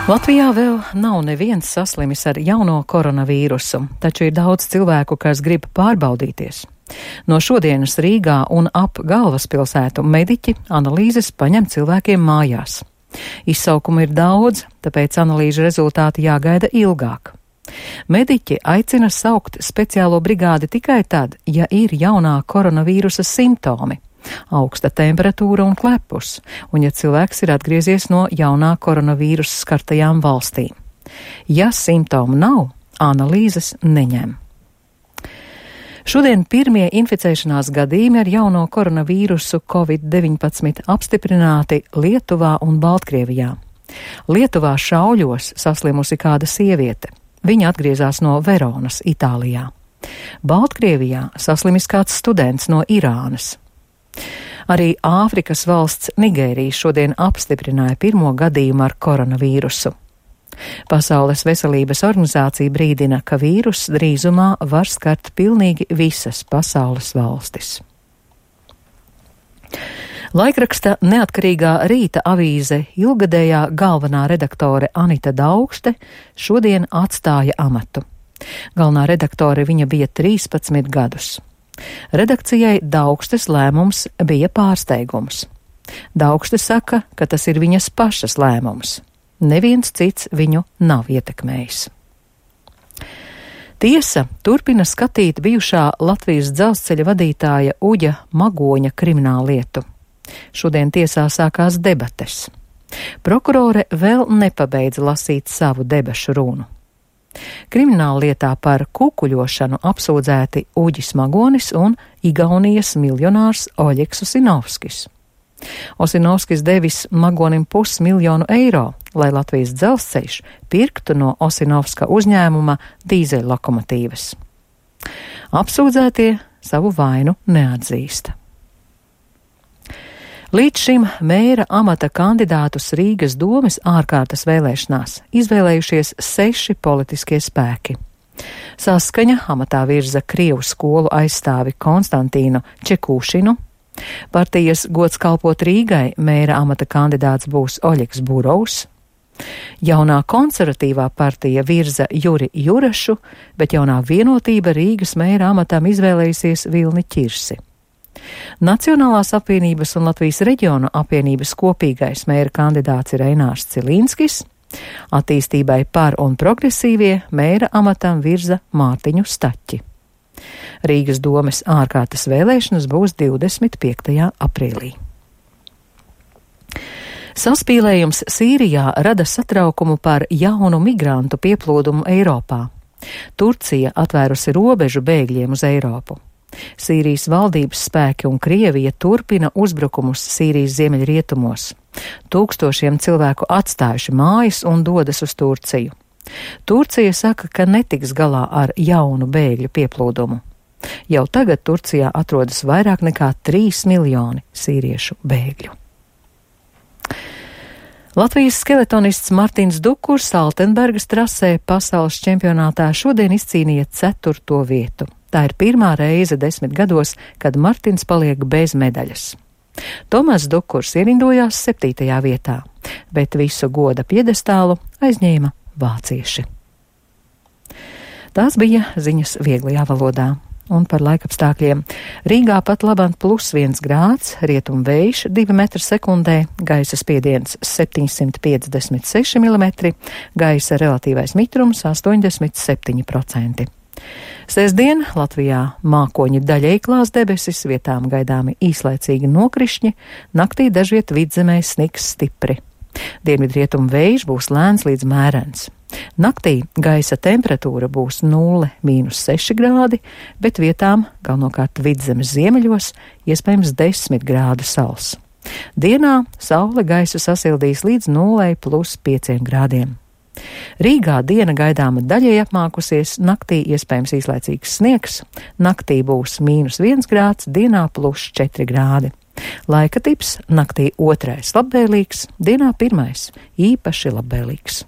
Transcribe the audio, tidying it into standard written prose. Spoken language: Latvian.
Latvijā vēl nav neviens saslimis ar jauno koronavīrusu, taču ir daudz cilvēku, kas grib pārbaudīties. No šodienas Rīgā un ap galvaspilsētu mediķi analīzes paņem cilvēkiem mājās. Izsaukumu ir daudz, tāpēc analīžu rezultāti jāgaida ilgāk. Mediķi aicina saukt speciālo brigādi tikai tad, ja ir jaunā koronavīrusa simptomi. Augsta temperatūra un klepus, un ja cilvēks ir atgriezies no jaunā koronavīrusa skartajām valstīm. Ja simptomu nav, analīzes neņem. Šodien pirmie inficēšanās gadījumi ar jauno koronavīrusu COVID-19 apstiprināti Lietuvā un Baltkrievijā. Lietuvā šauļos saslimusi kāda sieviete. Viņa atgriezās no Veronas, Itālijā. Baltkrievijā saslimis kāds students no Irānas. Arī Āfrikas valsts Nigērija šodien apstiprināja pirmo gadījumu ar koronavīrusu. Pasaules veselības organizācija brīdina, ka vīruss drīzumā var skart pilnīgi visas pasaules valstis. Laikraksta Neatkarīgā Rīta avīze ilgadējā galvenā redaktore Anita Daugšte šodien atstāja amatu. Galvenā redaktore viņa bija 13 gadus. Redakcijai Daugstes lēmums bija pārsteigums. Daugste saka, ka tas ir viņas pašas lēmums. Neviens cits viņu nav ietekmējis. Tiesa turpina skatīt bijušā Latvijas dzelzceļa vadītāja Uģa Magoņa krimināllietu. Šodien tiesā sākās debates. Prokurore vēl nepabeidza lasīt savu debašu runu. Krimināllietā par kukuļošanu apsūdzēti Uģis Magonis un Igaunijas miljonārs Oļegs Osinovskis. Osinovskis devis Magonim $500,000, lai Latvijas dzelzceļš pirktu no Osinovska uzņēmuma dīzeļlokomotīvas. Apsūdzētie savu vainu neatzīst. Līdz šim mēra amata kandidātus Rīgas domes ārkārtas vēlēšanās izvēlējušies 6 politiskie spēki. Saskaņa amatā virza Krievu skolu aizstāvi Konstantīnu Čekūšinu. Partijas Gods kalpot Rīgai mēra amata kandidāts būs Oļegs Burovs. Jaunā konservatīvā partija virza Juri Jurašu, bet jaunā vienotība Rīgas mēra amatam izvēlējusies Vilni Ķirsi. Nacionālās apvienības un Latvijas reģionu apvienības kopīgais mēra kandidāts ir Einārs Cilīnskis. Attīstībai par un progresīvie mēra amatam virza Mārtiņu Staķi. Rīgas domes ārkārtas vēlēšanas būs 25. aprīlī. Saspīlējums Sīrijā rada satraukumu par jaunu migrantu pieplūdumu Eiropā. Turcija atvērusi robežu bēgļiem uz Eiropu. Sīrijas valdības spēki un Krievija turpina uzbrukumus Sīrijas ziemeļrietumos. Tūkstošiem cilvēku atstājuši mājas un dodas uz Turciju. Turcija saka, ka netiks galā ar jaunu bēgļu pieplūdumu. Jau tagad Turcijā atrodas vairāk nekā 3 miljoni sīriešu bēgļu. Latvijas skeletonists Martins Dukurs Altenbergas trasē pasaules čempionātā šodien izcīnīja 4. vietu. Tā ir pirmā reize 10 gados, kad Martins paliek bez medaļas. Tomas Dukurs ierindojās 7. vietā, bet visu goda piedestālu aizņēma vācieši. Tās bija ziņas vieglajā valodā. Un par laikapstākļiem. Rīgā pat labāk +1 grāds, rietum vējš 2 metri sekundē, gaisa spiediens 756 mm, gaisa relatīvais mitrums 87%. Sestdien Latvijā mākoņi daļēji klās debesis, vietām gaidāmi īslaicīgi nokrišņi, naktī dažviet vidzemē snigs stipri. Dienvidrietumu vējš būs lēns līdz mērens. Naktī gaisa temperatūra būs 0–6 grādi, bet vietām, galvenokārt vidzemes ziemeļos, iespējams 10 grādu sals. Dienā saule gaisu sasildīs līdz 0+5 grādiem. Rīgā diena gaidāma daļēji apmākusies, naktī iespējams īslaicīgs sniegs, naktī būs -1 grāds, dienā +4 grādi. Laika tips naktī 2. labvēlīgs, dienā 1. īpaši labvēlīgs.